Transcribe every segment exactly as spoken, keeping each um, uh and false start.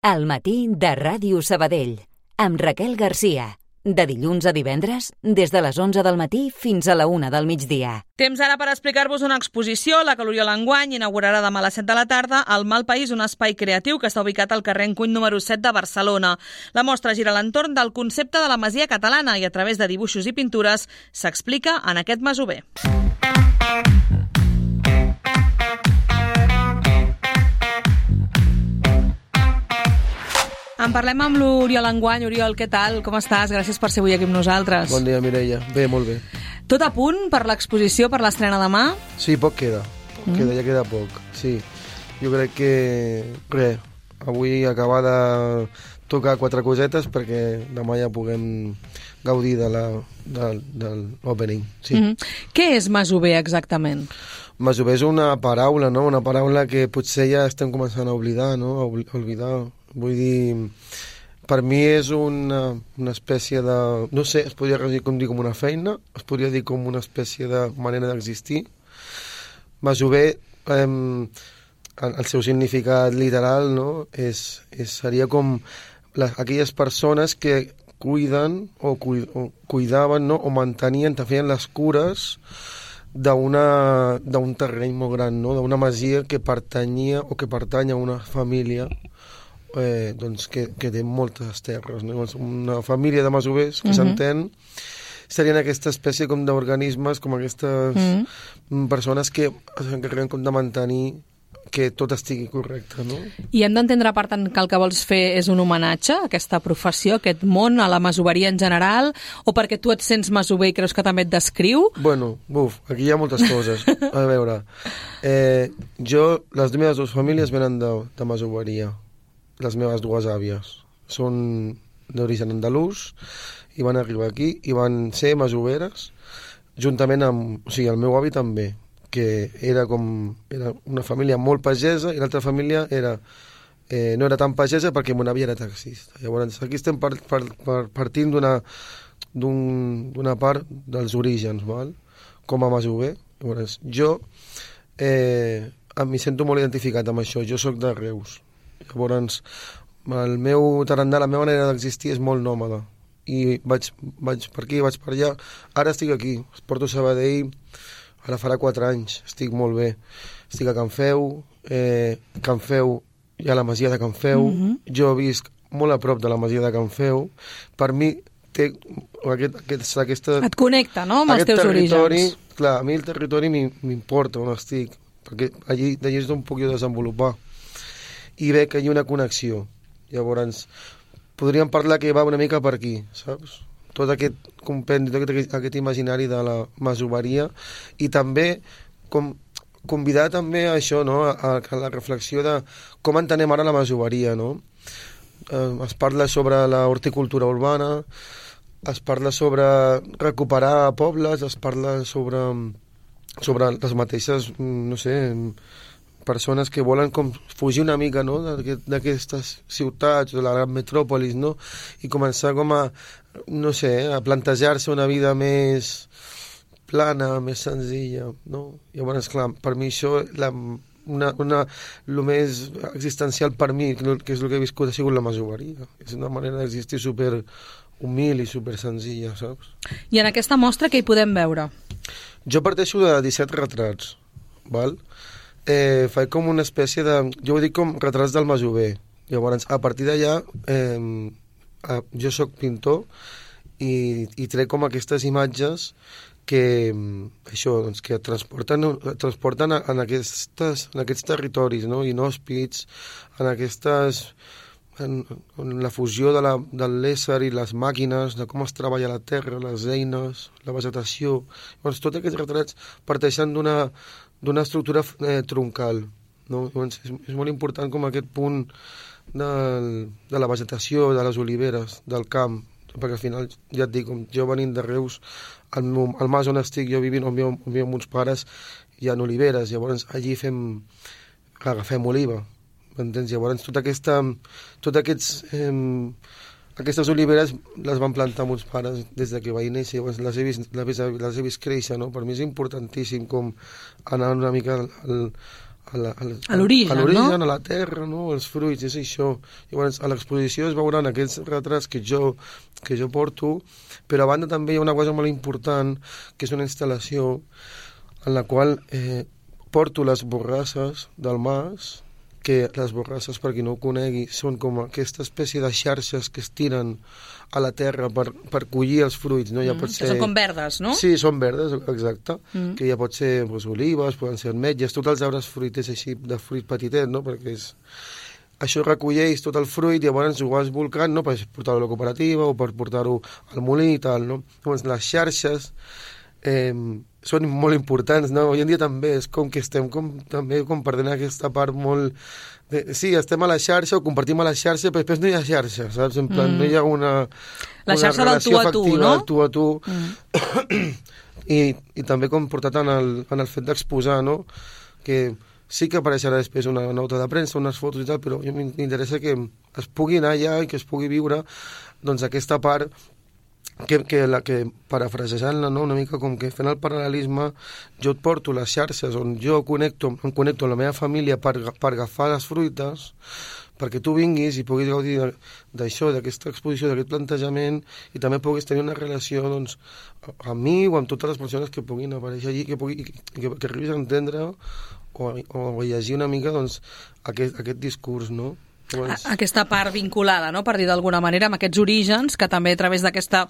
Al matí de Ràdio Sabadell, amb Raquel Garcia. De dilluns a divendres, des de les onze del matí fins a la una del migdia. Temps ara per explicar-vos una exposició. La que l'Oriol enguany inaugurarà demà a les set de la tarda al Mal País, un espai creatiu que està ubicat al carrer Encuny número set de Barcelona. La mostra gira a l'entorn del concepte de la masia catalana i a través de dibuixos i pintures s'explica en aquest masover. En parlem amb l'Oriol enguany. Oriol, què tal? Com estàs? Gràcies per ser avui aquí amb nosaltres. Bon dia, Mireia. Bé, molt bé. Tot a punt per l'exposició, per l'estrena demà? Sí, poc queda. Poc mm. queda, ja queda poc. Sí. Jo crec que, res, avui acabar de tocar quatre cosetes perquè demà ja puguem gaudir de la, de, de l'opening. Sí. Mm-hmm. Què és masover exactament? Masover és una paraula, no? Una paraula que potser ja estem començant a oblidar, no? A oblidar. Vull dir, per mi és una, una espècie de... No sé, es podria dir com, dir com una feina, es podria dir com una espècie de manera d'existir. Masover, eh, el seu significat literal, no? És, és, seria com les, aquelles persones que cuiden o, cu, o cuidaven, no? O mantenien, feien les cures d'una d'un terreny molt gran, no? D'una masia que pertanyia o que pertany a una família Eh, doncs que, que té moltes terres, no? Una família de masovers que uh-huh. s'entén, serien aquesta espècie com d'organismes, com aquestes uh-huh. persones que s'encarreguen com de mantenir que tot estigui correcte, no? I hem d'entendre, per tant, que el que vols fer és un homenatge a aquesta professió, a aquest món, a la masoveria en general, o perquè tu et sents masover i creus que també et descriu? Bueno, buf, aquí hi ha moltes coses. A veure, eh, jo, les meves dues famílies venen de, de masoveria. Les meves dues àvies són d'origen andalús i van arribar aquí i van ser masoveres juntament amb... O sigui, el meu avi també, que era com... Era una família molt pagesa i l'altra família era... Eh, no era tan pagesa perquè mon avi era taxista. Llavors, aquí estem per, per, per, partint d'una d'un, d'una part dels orígens, val? Com a masover. Llavors, jo eh, m'hi sento molt identificat amb això. Jo sóc de Reus. Llavors, el meu tarannà, la meva manera d'existir és molt nòmada. I vaig, vaig per aquí, vaig per allà. Ara estic aquí, porto a Sabadell, ara farà quatre anys, estic molt bé. Estic a Can Feu, eh, Can Feu, hi ha la masia de Can Feu, mm-hmm. jo visc molt a prop de la masia de Can Feu. Per mi, té aquest, aquest, aquesta... Et connecta, no?, amb els teus orígens. Clar, a mi el territori m'importa on estic, perquè allí, d'allí és d'on puc jo desenvolupar. I veig que hi ha una connexió. Llavors, podríem parlar que va una mica per aquí, saps? Tot aquest compendi, tot aquest, aquest imaginari de la masoveria i també com, convidar també a això, no? A, a la reflexió de com entenem ara la masoveria, no? Eh, es parla sobre la horticultura urbana, es parla sobre recuperar pobles, es parla sobre, sobre les mateixes, no sé... persones que volen com fugir una mica, no?, d'aquestes ciutats, de la gran metròpolis, no?, i començar com a, no sé, a plantejar-se una vida més plana, més senzilla, no? Llavors, clar, per mi això, la, una, una, el més existencial per mi, que és el que he viscut, ha sigut la masoveria. És una manera d'existir super humil i super senzilla, saps? I en aquesta mostra què hi podem veure? Jo parteixo de disset retrats, val?, Eh, faig com una espècie de... Jo ho dic com retrats del masover. Llavors, a partir d'allà, eh, jo sóc pintor i, i trec com aquestes imatges que, això, doncs, que transporten, transporten en, aquestes, en aquests territoris, no?, inhòspits, en aquestes... En, en la fusió de, la, de l'ésser i les màquines, de com es treballa la terra, les eines, la vegetació... Llavors, tots aquests retrats parteixen d'una... d'una estructura eh, troncal, no? Llavors, és, és molt important com aquest punt del, de la vegetació, de les oliveres, del camp, perquè al final, ja et dic, com jo venint de Reus, al, al mas on estic jo vivint, on viu, on viu amb uns pares, hi ha oliveres, llavors allí fem, agafem oliva, m'entens? Llavors tota aquesta, tot aquests... Eh, Aquestes oliveres les van plantar molts pares des de que vaig néixer, llavors les he vist, les he vist créixer, no? Per mi és importantíssim com anar una mica al, a la, a, a l'origen, a, l'origen, no? a la terra, no? Els fruits, és això. Llavors, a l'exposició es veuran aquests retrats que jo, que jo porto, però a banda també hi ha una cosa molt important, que és una instal·lació en la qual eh, porto les borrasses del mas, que les borrasses, per qui no ho conegui, són com aquesta espècie de xarxes que es tiren a la terra per, per collir els fruits, no? Ja mm, pot ser... Que són com verdes, no? Sí, són verdes, exacte, mm. que ja pot ser pues, olives, poden ser ametlles, tots els arbres fruiters així de fruit petitet, no? Perquè és... això recolleix tot el fruit i llavors ho vas volcant, no? Per portar-ho a la cooperativa o per portar-ho al molí i tal, no? Llavors les xarxes eh, són molt importants, no? Avui en dia també és com que estem com, també com perdent aquesta part molt... De, sí, estem a la xarxa o compartim a la xarxa, però després no hi ha xarxa, saps? En plan, mm. no hi ha una... La una xarxa del tu a tu, no? Del tu a tu. Mm. I, I també com portat en el, en el fet d'exposar, no? Que sí que apareixerà després una nota de premsa, unes fotos i tal, però a mi m'interessa que es pugui anar allà i que es pugui viure doncs aquesta part que, que, la, que parafrasejant-la, no? Una mica com que fent el paral·lelisme, jo et porto les xarxes on jo connecto, em connecto amb la meva família per, per agafar les fruites, perquè tu vinguis i puguis gaudir d'això, d'aquesta exposició, d'aquest plantejament, i també puguis tenir una relació doncs, amb mi o amb totes les persones que puguin aparèixer allí, que, pugui, que, que, que arribis a entendre o, o a llegir una mica doncs, aquest, aquest discurs, no? Doncs... Aquesta part vinculada, no? Per dir d'alguna manera, amb aquests orígens, que també a través d'aquesta,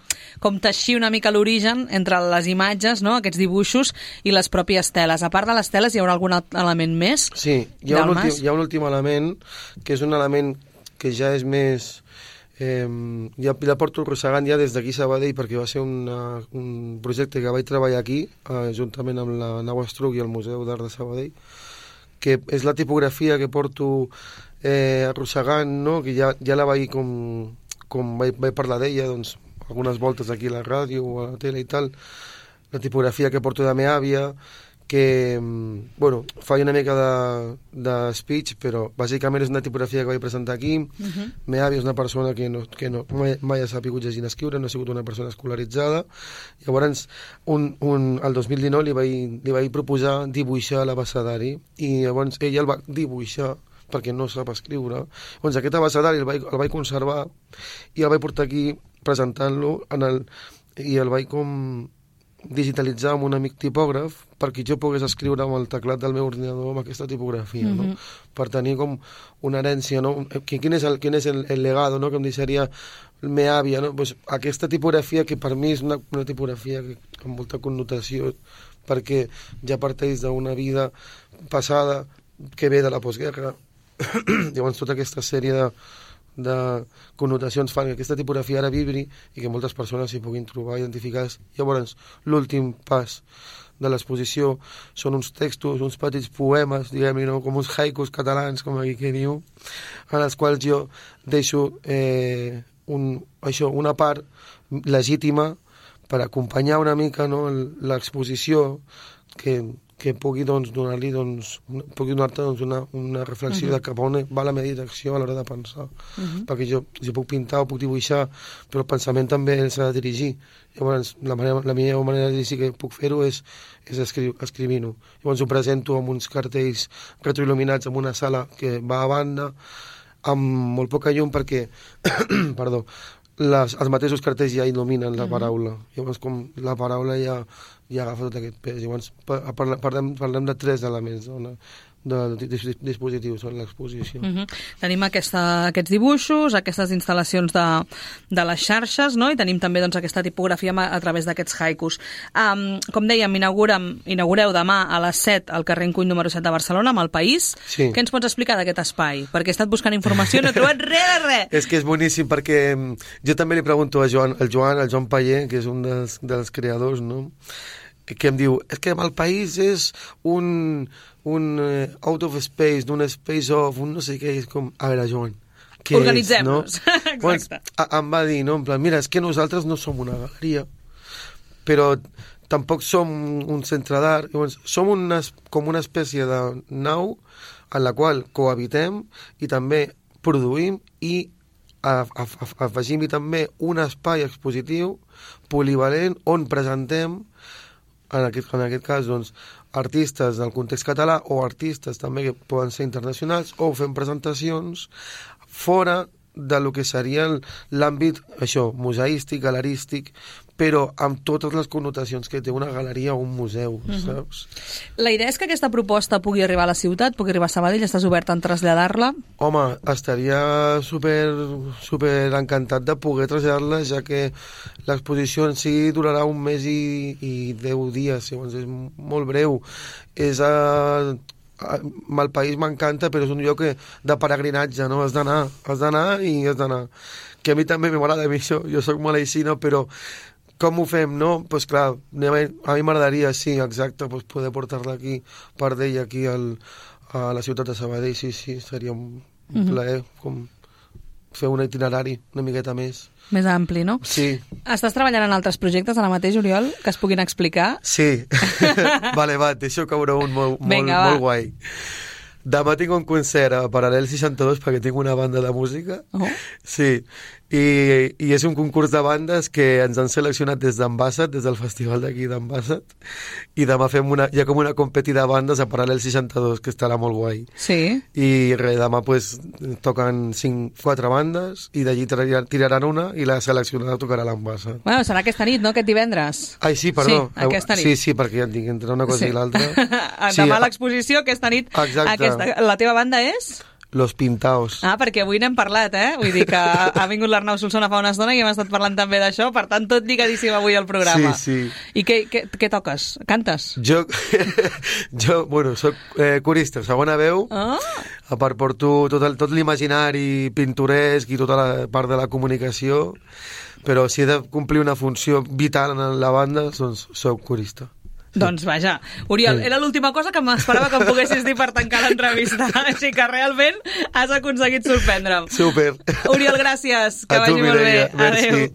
com teixir una mica l'origen entre les imatges, no? Aquests dibuixos i les pròpies teles. A part de les teles, hi haurà algun element més? Sí, hi ha, un últim, hi ha un últim element, que és un element que ja és més... Eh, ja, ja porto arrossegant ja des d'aquí a Sabadell, perquè va ser una, un projecte que vaig treballar aquí, eh, juntament amb la Nau Estruc i el Museu d'Art de Sabadell, que és la tipografia que porto eh, arrossegant, no? Que ja, ja la vaig com, com vaig, vaig parlar d'ella doncs, algunes voltes aquí a la ràdio o a la tele i tal, la tipografia que porto de la meva àvia, que, bueno, fa una mica de, de speech, però bàsicament és una tipografia que vaig presentar aquí. Uh-huh. La meva àvia és una persona que, no, que no, mai, mai ha sabut llegir ni escriure, no ha sigut una persona escolaritzada. Llavors, un, un, el dos mil dinou li vaig, li vaig proposar dibuixar l'abecedari, i llavors ella el va dibuixar perquè no sap escriure. Llavors aquest abecedari el vaig, el vaig conservar i el vaig portar aquí presentant-lo en el, i el vaig com digitalitzar amb un amic tipògraf perquè jo pogués escriure amb el teclat del meu ordinador amb aquesta tipografia, mm-hmm. no? Per tenir com una herència, no? Quin és el, quin és el, el legado, no? Que em deixaria la meva àvia, no? Pues aquesta tipografia que per mi és una, una tipografia que, amb molta connotació, perquè ja parteix d'una vida passada que ve de la postguerra. Llavors tota aquesta sèrie de de connotacions fan que aquesta tipografia ara vibri i que moltes persones s'hi puguin trobar identificades. Llavors, l'últim pas de l'exposició són uns textos, uns petits poemes, diguem-ne, no? Com uns haikus catalans, com aquí que diu, en els quals jo deixo eh, un, això, una part legítima per acompanyar una mica, no, l'exposició, que que pugui doncs, donar-li doncs, pugui donar-te doncs, una, una reflexió uh-huh. de cap on va la meva direcció a l'hora de pensar. Uh-huh. Perquè jo, jo puc pintar o puc dibuixar, però el pensament també s'ha de dirigir. Llavors, la, manera, la millor manera de dirigir que puc fer-ho és, és escri escrivint-ho. Llavors ho presento amb uns cartells retroil·luminats en una sala que va a banda, amb molt poca llum perquè, perdó, les, els mateixos cartells ja il·luminen la paraula. Llavors, com la paraula ja, ja agafa tot aquest pes. Llavors, parlem, parlem de tres elements, no? de, de, de dispositius en l'exposició. Uh-huh. Tenim aquesta, aquests dibuixos, aquestes instal·lacions de, de les xarxes, no? I tenim també doncs, aquesta tipografia a, a través d'aquests haikus. Um, com dèiem, inaugureu demà a les set al carrer Encuny número set de Barcelona, amb El País. Sí. Què ens pots explicar d'aquest espai? Perquè he estat buscant informació i no he trobat res de res. És que és boníssim, perquè jo també li pregunto a Joan, el Joan, el Joan Paller, que és un dels, dels creadors, no? Que em diu, és que El País és un, un uh, out of space, d'un space of, un no sé què, és com, a veure, Joan, què organitzem-nos. És, no? Exacte. Bueno, em va dir, no, en plan, mira, és que nosaltres no som una galeria, però tampoc som un centre d'art, som una, com una espècie de nau en la qual cohabitem i també produïm i afegim-hi també un espai expositiu polivalent on presentem en aquest, en aquest cas, doncs, artistes del context català o artistes també que poden ser internacionals o fem presentacions fora de lo que seria l'àmbit, això, museístic, galerístic, però amb totes les connotacions que té una galeria o un museu, uh-huh. saps? La idea és que aquesta proposta pugui arribar a la ciutat, pugui arribar a Sabadell, estàs obert en traslladar-la? Home, estaria super, super encantat de poder traslladar-la, ja que l'exposició en si durarà un mes i, i deu dies, llavors és molt breu. És a... el país m'encanta, però és un lloc que, de peregrinatge, no? Has d'anar, has d'anar i has d'anar. Que a mi també m'agrada, a mi això, jo soc malaicino, però com ho fem, no? Doncs pues clar, a mi m'agradaria, sí, exacte, pues poder portar-la aquí, part d'ella aquí al, a la ciutat de Sabadell, sí, sí, seria un, un uh-huh. plaer, com fer un itinerari una miqueta més. Més ampli, no? Sí. Estàs treballant en altres projectes ara mateix, Oriol, que es puguin explicar? Sí. Vale, va, deixo caure un molt, Vinga, molt, molt guai. Demà tinc un concert a Paral·lel seixanta-dos perquè tinc una banda de música. Oh. Sí. I, i és un concurs de bandes que ens han seleccionat des d'Ambassat, des del festival d'aquí d'Ambassat, i demà fem una, hi ha com una competi de bandes a Paral·lel seixanta-dos, que estarà molt guai. Sí. I res, demà pues, toquen cinc, quatre bandes, i d'allí tiraran una, i la seleccionada tocarà l'Ambassat. Bueno, serà aquesta nit, no?, aquest divendres. Ai, sí, perdó. Sí, aquesta nit. Sí, sí, perquè ja en tinc entre una cosa sí. i l'altra. Sí, demà l'exposició, aquesta nit. Exacte. Aquesta, la teva banda és? Los Pintaos. Ah, perquè avui n'hem parlat, eh? Vull dir que ha, ha vingut l'Arnau Solsona fa una estona i hem estat parlant també d'això, per tant, tot lligadíssim avui al programa. Sí, sí. I què, què, què toques? Cantes? Jo, jo bueno, soc eh, corista, segona veu. Ah. A part porto tot, el, tot l'imaginari pintoresc i tota la part de la comunicació, però si he de complir una funció vital en la banda, doncs soc corista. Doncs vaja, Oriol, sí. Era l'última cosa que m'esperava que em poguessis dir per tancar l'entrevista, així que realment has aconseguit sorprendre'm. Super. Oriol, gràcies, que a vagi tu, molt bé. Mireia. Adéu.